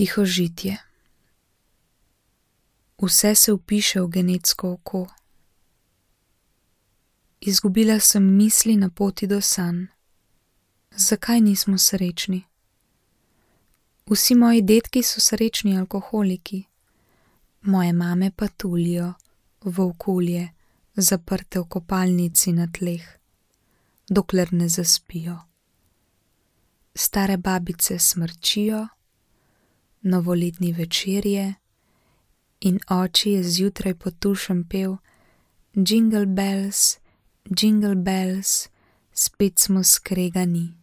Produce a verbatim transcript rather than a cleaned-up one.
Tihožitje. Vse se vpiše v genetsko oko. Izgubila sem misli na poti do sanj. Zakaj nismo srečni? Vsi moji dedki so srečni alkoholiki, moje mame pa tulijo, volkulje, zaprte v kopalnici na tleh, dokler ne zaspijo. Stare babice smrčijo, novoletni večerje in oči je zjutraj potušen pel Jingle bells, jingle bells, spet smo skregani.